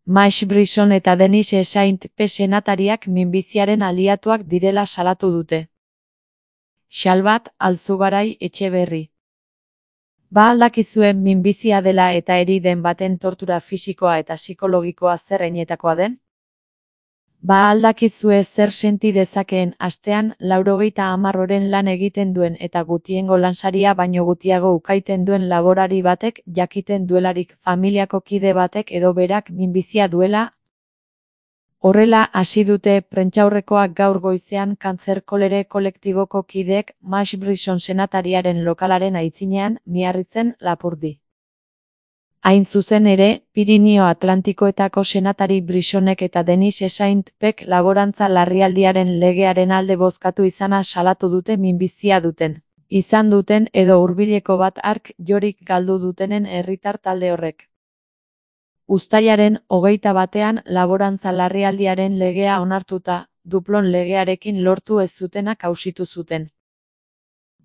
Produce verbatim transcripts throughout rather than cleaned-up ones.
Max Brisson eta Denise Saint-Pe senatariak minbiziaren aliatuak direla salatu dute. Xalbat Alzugaray Etxeberri. Ba aldakizuen minbizia dela eta eri den baten tortura fisikoa eta psikologikoa zer heinetakoa den? Ba aldakizue zer senti dezakeen astean laurogeita hamar oren lan egiten duen eta gutiengo lansaria baino gutiago ukaiten duen laborari batek jakiten duelarik familiako kide batek edo berak minbizia duela? Horrela hasi dute prentsaurrekoak gaur goizean Kanzer Kolere kolektiboko kideek Max Brisson senatariaren lokalaren aitzinean Miarritzen Lapurdi. Hain zuzen ere, Pirinio Atlantikoetako senatari Brissonek eta Denise Saint-Pek laborantza larrialdiaren legearen alde bozkatu izana salatu dute minbizia duten. Izan duten edo hurbileko bat hark jorik galdu dutenen herritar talde horrek. Uztailaren hogeita batean laborantza larrialdiaren legea onartuta, duplon legearekin lortu ez zutenak auzitu zuten.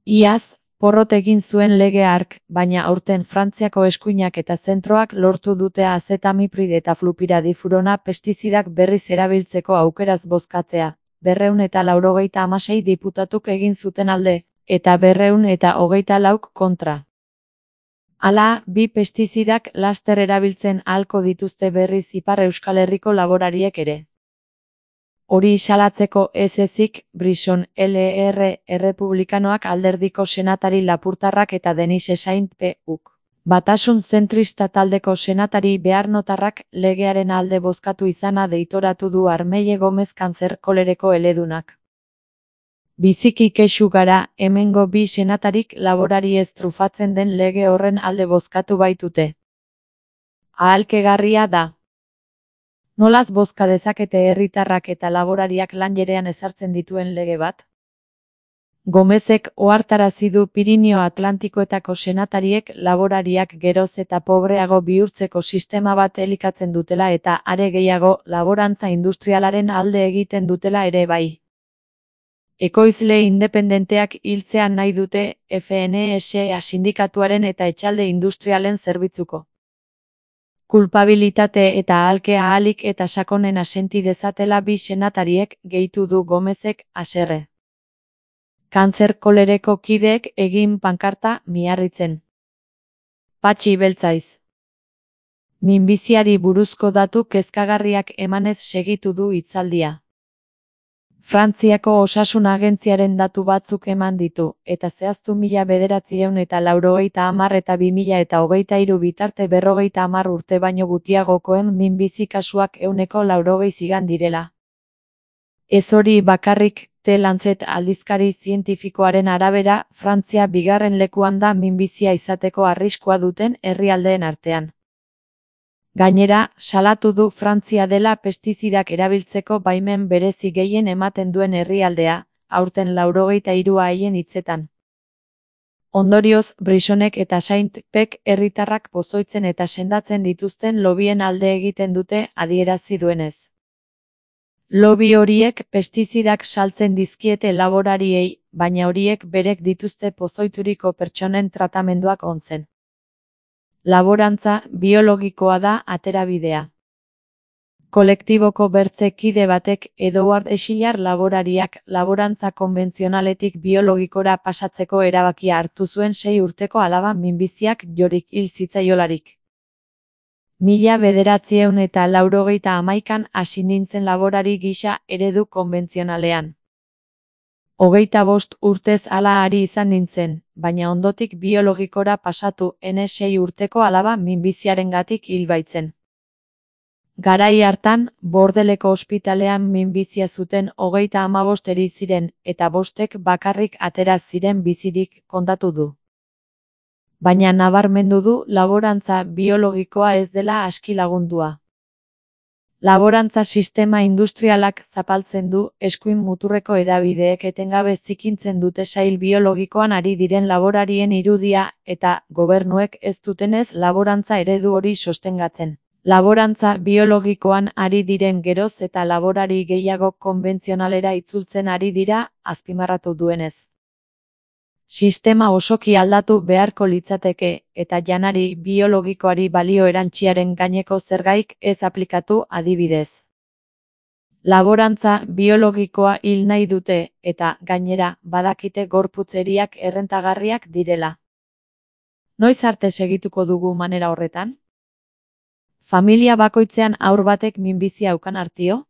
Iaz, porrot egin zuen lege hark, baina aurten Frantziako eskuinak eta zentroak lortu dute azetamiprid eta flupiradifurona pestizidak berriz erabiltzeko aukeraz bozkatzea, berrehun eta laurogeita hamasei diputatuk egin zuten alde, eta berrehun eta hogeita lauk kontra. Hala, bi pestizidak laster erabiltzen ahalko dituzte berriz Ipar Euskal Herriko laborariek ere. Hori salatzeko ez ezik, Brisson L R errepublikanoak alderdiko senatari lapurtarrak eta Denise Saint-Pe uk. Batasun zentrista taldeko senatari beharnotarrak legearen alde bozkatu izana deitoratu du Armeie Gomez Kanzer Kolereko eledunak. Biziki kexu gara, hemengo bi senatarik laborari ez trufatzen den lege horren alde bozkatu baitute. Ahalkegarria da. Nolaz bozka dezakete herritarrak eta laborariak lanjerean ezartzen dituen lege bat? Gomezek ohartarazi du Pirinio Atlantikoetako senatariek laborariak geroz eta pobreago bihurtzeko sistema bat elikatzen dutela eta are gehiago laborantza industrialaren alde egiten dutela ere bai. Ekoizle independenteak hiltzea nahi dute F N S A sindikatuaren eta etxalde industrialen zerbitzuko. Kulpabilitate eta ahalke ahalik eta sakonena senti dezatela bi senatariek gehitu du Gomezek haserre. Kanzer Kolereko kideek egin pankarta Miarritzen. Patxi beltzaiz. Minbiziari buruzko datu kezkagarriak emanez segitu du hitzaldia. Frantziako osasun agentziaren datu batzuk eman ditu, eta zehaztu mila bederatziehun eta laurogeita hamar eta bi mila eta hogeita hiru bitarte berrogeita hamar urte baino gutiagokoen minbizi kasuak ehuneko laurogei zigan direla. Ez hori bakarrik, The Lancet aldizkari zientifikoaren arabera, Frantzia bigarren lekuan da minbizia izateko arriskua duten herrialdeen artean. Gainera, salatu du Frantzia dela pestizidak erabiltzeko baimen berezi gehien ematen duen herrialdea, aurten laurogeita hirua haien hitzetan. Ondorioz, Brissonek eta Saint-Pek herritarrak pozoitzen eta sendatzen dituzten lobien alde egiten dute adierazi duenez. Lobby horiek pestizidak saltzen dizkiete laborariei, baina horiek berek dituzte pozoituriko pertsonen tratamenduak ontzen. Laborantza biologikoa da aterabidea. Kolektiboko bertze kide batek Edouard Echillard laborariak laborantza konbentzionaletik biologikora pasatzeko erabakia hartu zuen sei urteko alaba minbiziak jorik hil zitzaiolarik. Mila bederatziehun eta laurogeita hamaikan hasi nintzen laborari gisa eredu konbentzionalean. Hogeita bost urtez hala ari izan nintzen, baina ondotik biologikora pasatu ene sei urteko alaba minbiziarengatik hil baitzen. Garai hartan, Bordeleko ospitalean minbizia zuten hogeita hamabost eri ziren, eta bostek bakarrik atera ziren bizirik kontatu du. Baina nabarmendu du laborantza biologikoa ez dela aski lagundua. Laborantza sistema industrialak zapaltzen du, eskuin muturreko hedabideek etengabe zikintzen dute sail biologikoan ari diren laborarien irudia, eta gobernuek ez dutenez laborantza eredu hori sostengatzen. Laborantza biologikoan ari diren geroz eta laborari gehiago konbentzionalera itzultzen ari dira, azpimarratu duenez. Sistema osoki aldatu beharko litzateke eta janari biologikoari balio erantziaren gaineko zergaik ez aplikatu adibidez. Laborantza biologikoa hil nahi dute eta gainera badakite gorputzeriak errentagarriak direla. Noiz arte segituko dugu manera horretan? Familia bakoitzean haur batek minbizia ukan artio?